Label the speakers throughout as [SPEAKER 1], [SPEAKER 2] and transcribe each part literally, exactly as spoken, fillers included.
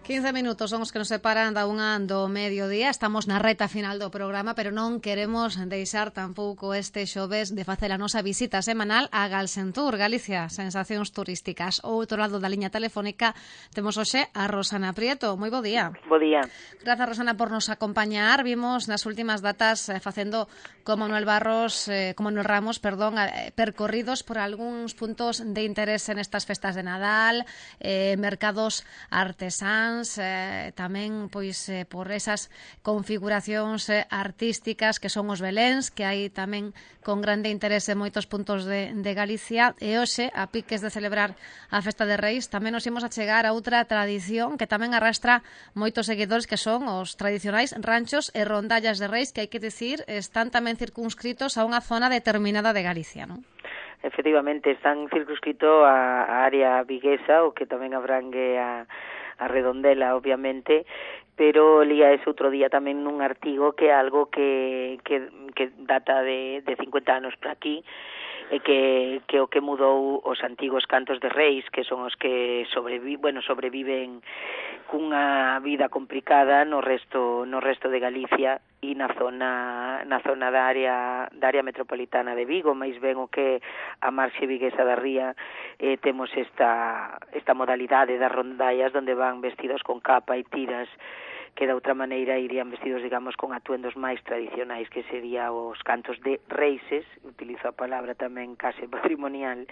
[SPEAKER 1] quince minutos son os que nos separan da unha do mediodía. Estamos na reta final do programa, pero non queremos deixar tampouco este xoves de facer a nosa visita semanal a Galsentur, Galicia, sensacións turísticas. O outro lado da liña telefónica temos hoxe a Rosana Prieto. Moi bo día.
[SPEAKER 2] Bo día.
[SPEAKER 1] Grazas, Rosana, por nos acompañar. Vimos nas últimas datas eh, facendo como Manuel Barros, eh, como Manuel Ramos, perdón, eh, percorridos por algúns puntos de interés en estas festas de Nadal, eh, mercados artesáns, eh, tamén pois eh, por esas configuracións eh, artísticas que son os beléns, que hai tamén con grande interés en moitos puntos de, de Galicia. E hoxe, a piques de celebrar a Festa de Reis, tamén nos imos a chegar a outra tradición que tamén arrastra moitos seguidores, que son os tradicionais ranchos e rondallas de Reis, que hai que dicir están tamén circunscritos a unha zona determinada de Galicia, non?
[SPEAKER 2] Efectivamente, están circunscrito a, a área viguesa, o que tamén abrangue a, a Redondela, obviamente, pero lía ese outro día tamén nun artigo que é algo que, que, que data de, de cincuenta anos para aquí, e que, que o que mudou os antigos cantos de reis, que son os que sobrevi, bueno, sobreviven cunha vida complicada no resto no resto de Galicia e na zona na zona da área da área metropolitana de Vigo, máis ben o que a marxe viguesa da ría, eh, temos esta esta modalidade das rondallas onde van vestidos con capa e tiras, que de outra maneira irían vestidos, digamos, con atuendos máis tradicionais, que sería os cantos de reises, utilizo a palabra tamén case patrimonial,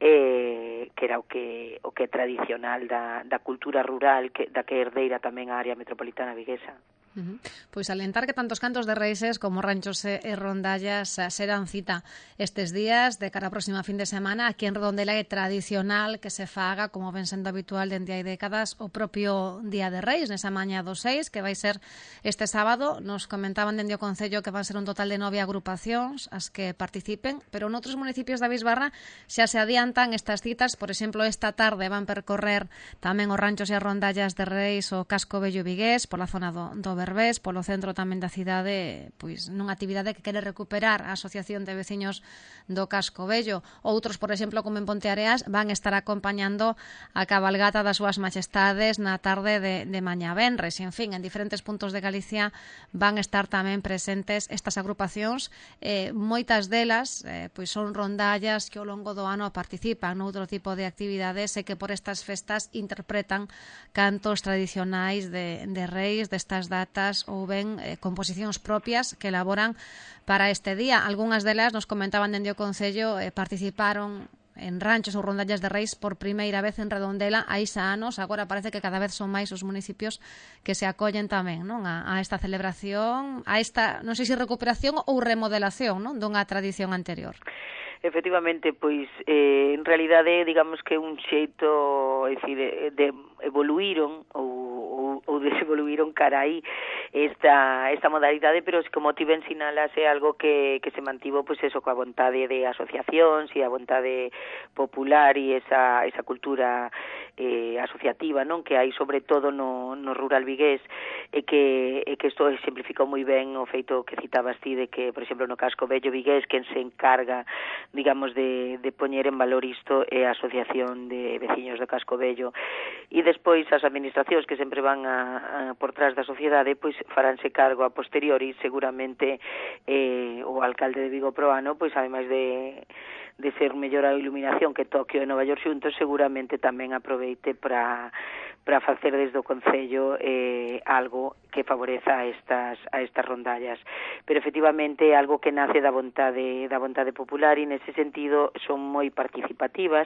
[SPEAKER 2] eh, que era o que o que é tradicional da, da cultura rural, que, da que herdeira tamén a área metropolitana viguesa.
[SPEAKER 1] Uh -huh. Pois alentar que tantos cantos de reises como ranchos e rondallas serán cita estes días de cara a próxima fin de semana. Aquí en Redondela é tradicional que se faga, como ven sendo habitual dende hai décadas, o propio Día de Reis, nesa maña do seis, que vai ser este sábado. Nos comentaban dende o Concello que van ser un total de nove agrupacións as que participen, pero noutros municipios da Bisbarra xa se adiantan estas citas. Por exemplo, esta tarde van percorrer tamén os ranchos e as rondallas de Reis o Casco Vello vigués, pola zona do, do Berbés, polo centro tamén da cidade, pois nunha actividade que quere recuperar a Asociación de Veciños do Casco Vello. Outros, por exemplo, como en Ponteareas, van estar acompañando a cabalgata das súas majestades na tarde de, de mañá venres. En fin, en diferentes puntos de Galicia van estar tamén presentes estas agrupacións. Eh, moitas delas eh, pois son rondallas que ao longo do ano participan noutro tipo de actividades e que por estas festas interpretan cantos tradicionais de, de reis destas datas ou ben eh, composicións propias que elaboran para este día. Algúnas delas, nos comentaban dende o Concello, eh, participaron en ranchos ou rondallas de reis por primeira vez en Redondela hai xa anos. Agora parece que cada vez son máis os municipios que se acollen tamén, non, a, a esta celebración, a esta, non sei se recuperación ou remodelación, non, dunha tradición anterior.
[SPEAKER 2] Efectivamente, pois eh, en realidade, digamos que un xeito, é dicir, de, de evoluíron ou, ou, ou desevoluíron cara aí esta, esta modalidade, pero como ti ben sinalas, é algo que, que se mantivo, pois eso, coa vontade de asociacións e a vontade popular e esa, esa cultura eh, asociativa, non, que hai sobre todo no, no rural vigués, e que, e que isto exemplificou moi ben o feito que citabas ti de que, por exemplo, no Casco Vello vigués, quen se encarga, digamos, de, de poñer en valor isto é a Asociación de Veciños do Casco Vello, e despois as administracións que sempre van a, a, por trás da sociedade, pois faránse cargo a posteriori, seguramente eh, o alcalde de Vigo Proano, pois ademais de de ser mellor a iluminación que Tokio e Nova York xuntos, seguramente tamén aproveite para para facer desde o Concello eh, algo que favoreza a estas a estas rondallas. Pero efectivamente é algo que nace da vontade da vontade popular e nese sentido son moi participativas.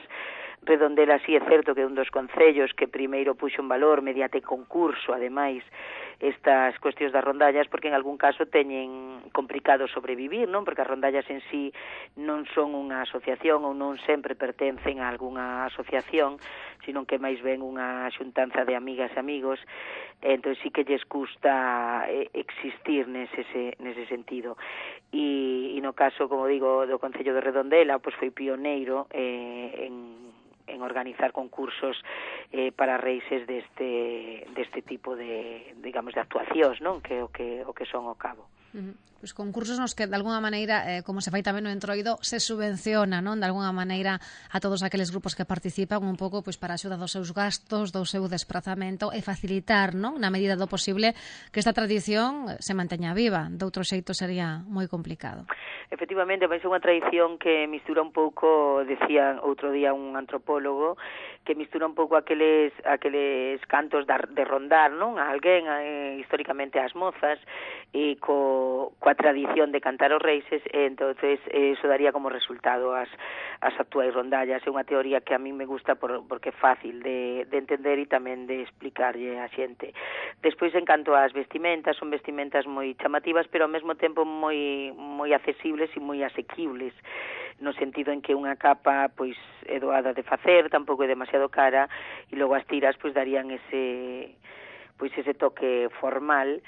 [SPEAKER 2] Redondela si é certo que é un dos concellos que primeiro puxo en valor mediante concurso, ademais, estas cuestións das rondallas, porque en algún caso teñen complicado sobrevivir, non? Porque as rondallas en sí non son unha asociación ou non sempre pertencen a algunha asociación, sino que máis ben unha xuntanza de amigas e amigos, entón sí que lles custa existir nese, nese sentido. E, e no caso, como digo, do Concello de Redondela, pois foi pioneiro eh, en en organizar concursos eh, para reises deste deste tipo de, digamos, de actuacións, non? Que o que o que son ao cabo.
[SPEAKER 1] Uh-huh. Pois concursos nos que, de alguna maneira, eh, como se fai tamén no Entroido, se subvenciona, non, de alguna maneira, a todos aqueles grupos que participan un pouco pois para a axuda dos seus gastos, do seu desprazamento e facilitar, non, na medida do posible, que esta tradición se manteña viva. De outro xeito sería moi complicado.
[SPEAKER 2] Efectivamente, é unha tradición que mistura un pouco, decía outro día un antropólogo, que mistura un pouco aqueles aqueles cantos de rondar, non, a alguén, eh, históricamente as mozas, e co, coa tradición de cantar os reises, e entonces eh, eso daría como resultado as, as actuais rondallas. É unha teoría que a mí me gusta por, porque é fácil de, de entender e tamén de explicarlle a xente. Despois, en canto ás vestimentas, son vestimentas moi chamativas, pero ao mesmo tempo moi moi accesibles e moi asequibles, no sentido en que unha capa pois é doada de facer, tampouco é demasiado cara, e logo as tiras pois darían ese pois ese toque formal.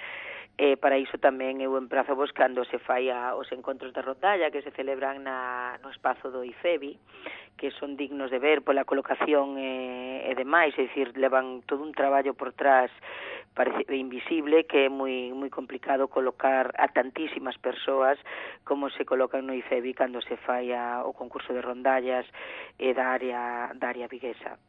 [SPEAKER 2] Eh, para iso tamén eu emprazo vos cando se fai a, os encontros de rondalla que se celebran na, no espazo do IFEBI, que son dignos de ver pola colocación e, e demais, é dicir, levan todo un traballo por trás parece invisible, que é moi moi complicado colocar a tantísimas persoas como se colocan no IFEBI cando se fai a, o concurso de rondallas e da área da área viguesa.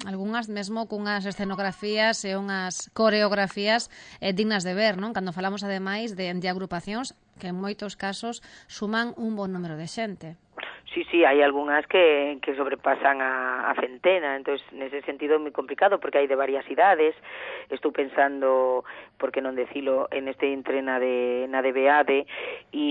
[SPEAKER 1] Algúnas mesmo cunhas escenografías e unhas coreografías eh, dignas de ver, non? Cando falamos ademais de, de agrupacións que en moitos casos suman un bon número de xente.
[SPEAKER 2] Sí, sí, hai algunhas que, que sobrepasan a, a centena, entonces nese sentido é moi complicado porque hai de varias idades. Estou pensando, por que non decilo, en este entrena de na D B A D e,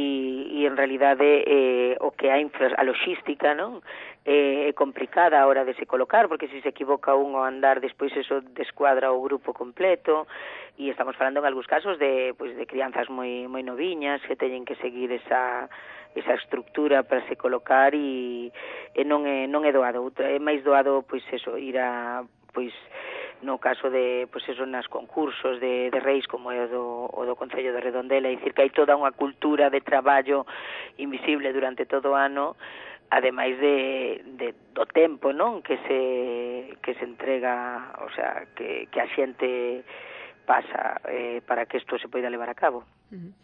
[SPEAKER 2] e en realidade eh, o que hai a logística, non? É eh, complicada a hora de se colocar, porque se se equivoca un ao andar, despois eso descuadra o grupo completo, e estamos falando en algúns casos de, pues, de crianzas moi moi noviñas que teñen que seguir esa esa estructura para se colocar e, e non é non é doado, é máis doado pois eso, ir a pois no caso de pois eso nas concursos de, de reis como é o do, o do Concello de Redondela, é dicir que hai toda unha cultura de traballo invisible durante todo o ano, ademais de, de do tempo, non, que se que se entrega, o sea, que que a xente pasa eh, para que isto se poida levar a cabo.
[SPEAKER 1] Uh-huh.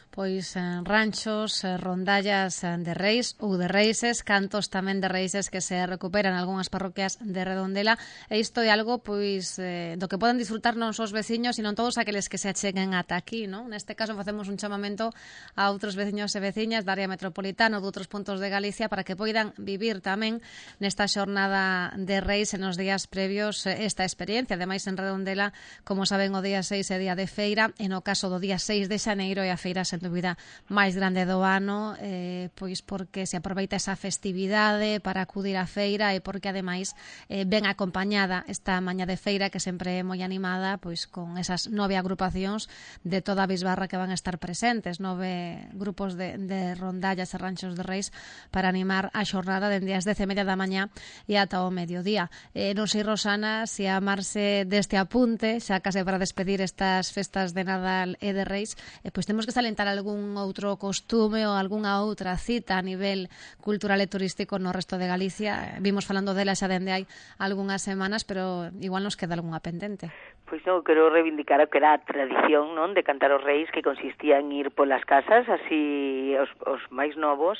[SPEAKER 1] Pois eh, ranchos, eh, rondallas eh, de reis ou de reises, cantos tamén de reises que se recuperan en algunhas parroquias de Redondela, e isto é algo pois eh, do que poden disfrutar non só os veciños, sino todos aqueles que se acheguen ata aquí, non? Neste caso facemos un chamamento a outros veciños e veciñas da área metropolitana ou de outros puntos de Galicia para que poidan vivir tamén nesta xornada de reis en os días previos esta experiencia. Ademais, en Redondela, como saben, o día seis é día de feira, e no caso do día seis de xaneiro é a feira sen dúbida máis grande do ano, eh, pois porque se aproveita esa festividade para acudir á feira e porque ademais eh, ben acompañada esta mañá de feira que sempre é moi animada, pois con esas nove agrupacións de toda a bisbarra que van a estar presentes, nove grupos de, de rondallas e ranchos de reis para animar a xornada dende as dez e media da mañá e ata o mediodía. Eh, non sei, Rosana, se amarse deste apunte, xa case para despedir estas festas de Nadal e de Reis, eh, pois temos que salientar algún outro costume ou algunha outra cita a nivel cultural e turístico no resto de Galicia. Vimos falando dela xa dende hai algunhas semanas, pero igual nos queda algunha pendente.
[SPEAKER 2] Pois non, quero reivindicar o que era a tradición, non, de cantar os reis, que consistía en ir polas casas, así os, os máis novos,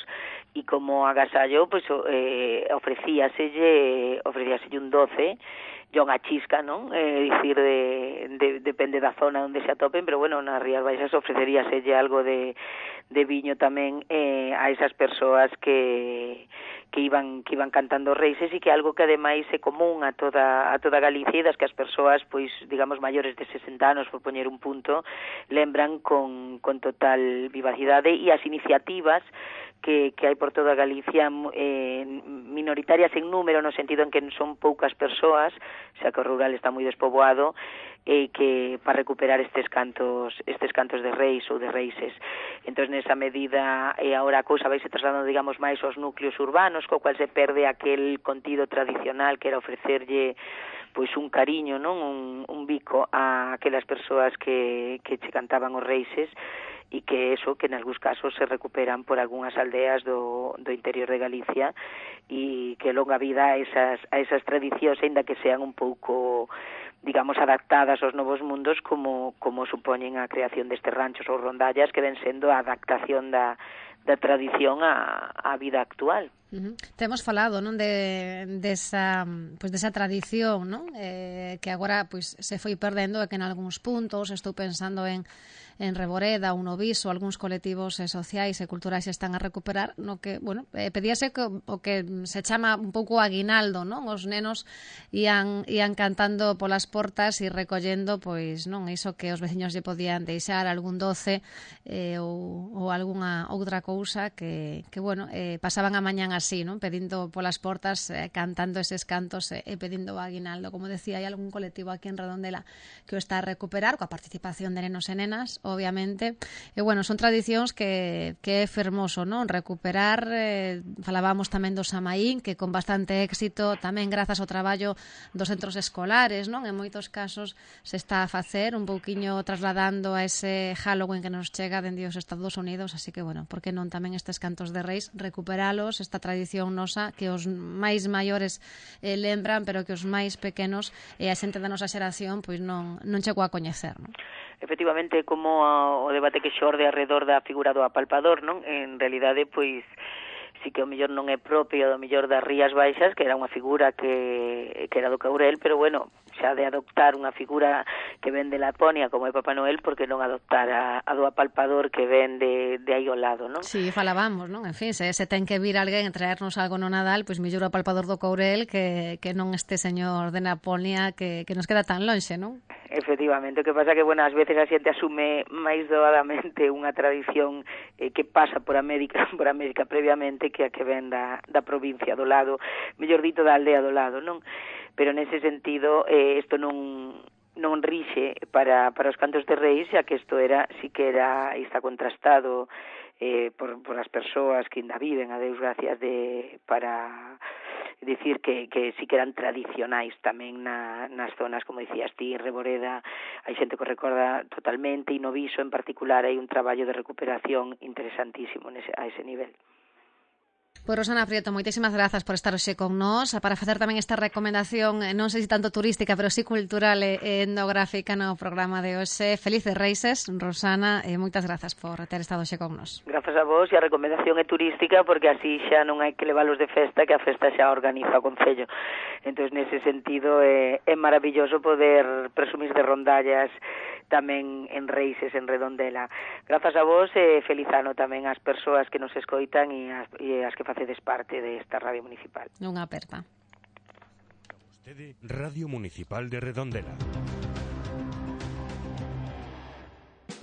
[SPEAKER 2] e como agasallo, pois eh, ofrecíaselle, ofrecíaselle un doce, yo unha chisca, non? É eh, dicir, de, de, depende da zona onde se atopen, pero bueno, nas Rías Baixas ofreceríaselle algo de, de viño tamén eh, a esas persoas que que iban que iban cantando reises, e que algo que ademais é común a toda a toda Galicia, e das que as persoas, pois, digamos, maiores de sesenta anos, por poñer un punto, lembran con, con total vivacidade, e as iniciativas que, que hai por toda Galicia eh, minoritarias en número, no sentido en que son poucas persoas, xa que o rural está moi despoboado, e eh, que para recuperar estes cantos estes cantos de reis ou de reises. Entón, nesa medida, e eh, agora a cousa vai se trasladando, digamos, máis aos núcleos urbanos, co cual se perde aquel contido tradicional que era ofrecerlle pois un cariño, non, un, un bico a aquelas persoas que, que che cantaban os reises, e que eso, que en algúns casos se recuperan por algunhas aldeas do, do interior de Galicia, e que longa vida a esas, a esas tradicións, ainda que sean un pouco digamos, adaptadas aos novos mundos como, como supoñen a creación destes ranchos ou rondallas que ven sendo a adaptación da, da tradición á, á vida actual.
[SPEAKER 1] Uh-huh. Temos falado, non, de desa, pois desa tradición, non? Eh, que agora pois se foi perdendo e que en algúns puntos, estou pensando en en Reboreda, un Noviso, algúns colectivos eh, sociais e culturais están a recuperar, no que, bueno, eh, pedíase que, o que se chama un pouco aguinaldo, non? Os nenos ian, ian cantando polas portas e recollendo, pois, non, iso que os veciños lle podían deixar, algún doce eh, ou, ou algunha outra cousa que, que bueno, eh, pasaban a mañán así, non? Pedindo polas portas, eh, cantando eses cantos e eh, pedindo aguinaldo. Como decía, hai algún colectivo aquí en Redondela que o está a recuperar coa participación de nenos e nenas, obviamente. E, bueno, son tradicións que, que é fermoso, non? Recuperar, eh, falábamos tamén do Samaín, que con bastante éxito, tamén grazas ao traballo dos centros escolares, non? En moitos casos se está a facer un pouquiño trasladando a ese Halloween que nos chega dende os Estados Unidos, así que, bueno, por que non tamén estes cantos de reis, recuperalos, esta tradición nosa que os máis maiores eh, lembran, pero que os máis pequenos e a xente da nosa xeración pois non, non chegou a coñecer, non?
[SPEAKER 2] Efectivamente, como o debate que xorde alrededor da figura do apalpador, non? En realidade, pois, si que o mellor non é propio do mellor das Rías Baixas, que era unha figura que, que era do Caurel, pero bueno, xa de adoptar unha figura que ven de Laponia como é Papá Noel, porque non adoptar a, a do apalpador que ven de, de aí ao lado, non?
[SPEAKER 1] Sí, falábamos, non? En fin, se, se ten que vir alguén a traernos algo no Nadal, pois mellor o apalpador do Caurel que, que non este señor de Laponia que, que nos queda tan lonxe, non?
[SPEAKER 2] Efectivamente, o que pasa que, bueno, ás veces a xente asume máis doadamente unha tradición eh, que pasa por América, por América previamente que a que ven da, da provincia do lado, mellor dito da aldea do lado, non? Pero nese sentido, eh, isto non non rixe para, para os cantos de reis, xa que isto era, si que era, está contrastado eh, por, por as persoas que ainda viven, a Deus gracias, de, para dicir que, que sí que eran tradicionais tamén na, nas zonas, como dicías ti, Reboreda, hai xente que recorda totalmente, e no Viso en particular hai un traballo de recuperación interesantísimo nese, a ese nivel.
[SPEAKER 1] Pois Rosana Prieto, moitísimas grazas por estar hoxe con nós, para facer tamén esta recomendación, non sei se tanto turística, pero sí cultural e etnográfica no programa de hoxe. Felices Reises, Rosana, e moitas grazas por ter estado hoxe con nós.
[SPEAKER 2] Grazas a vos, e a recomendación é turística, porque así xa non hai que leválos de festa, que a festa xa organiza o Concello. Entón, nese sentido, é, é maravilloso poder presumir de rondallas tamén en Reises, en Redondela. Grazas a vos e feliz ano tamén ás persoas que nos escoitan e as, e as que facedes parte desta Radio Municipal.
[SPEAKER 1] Unha aperta.
[SPEAKER 3] Radio Municipal de Redondela.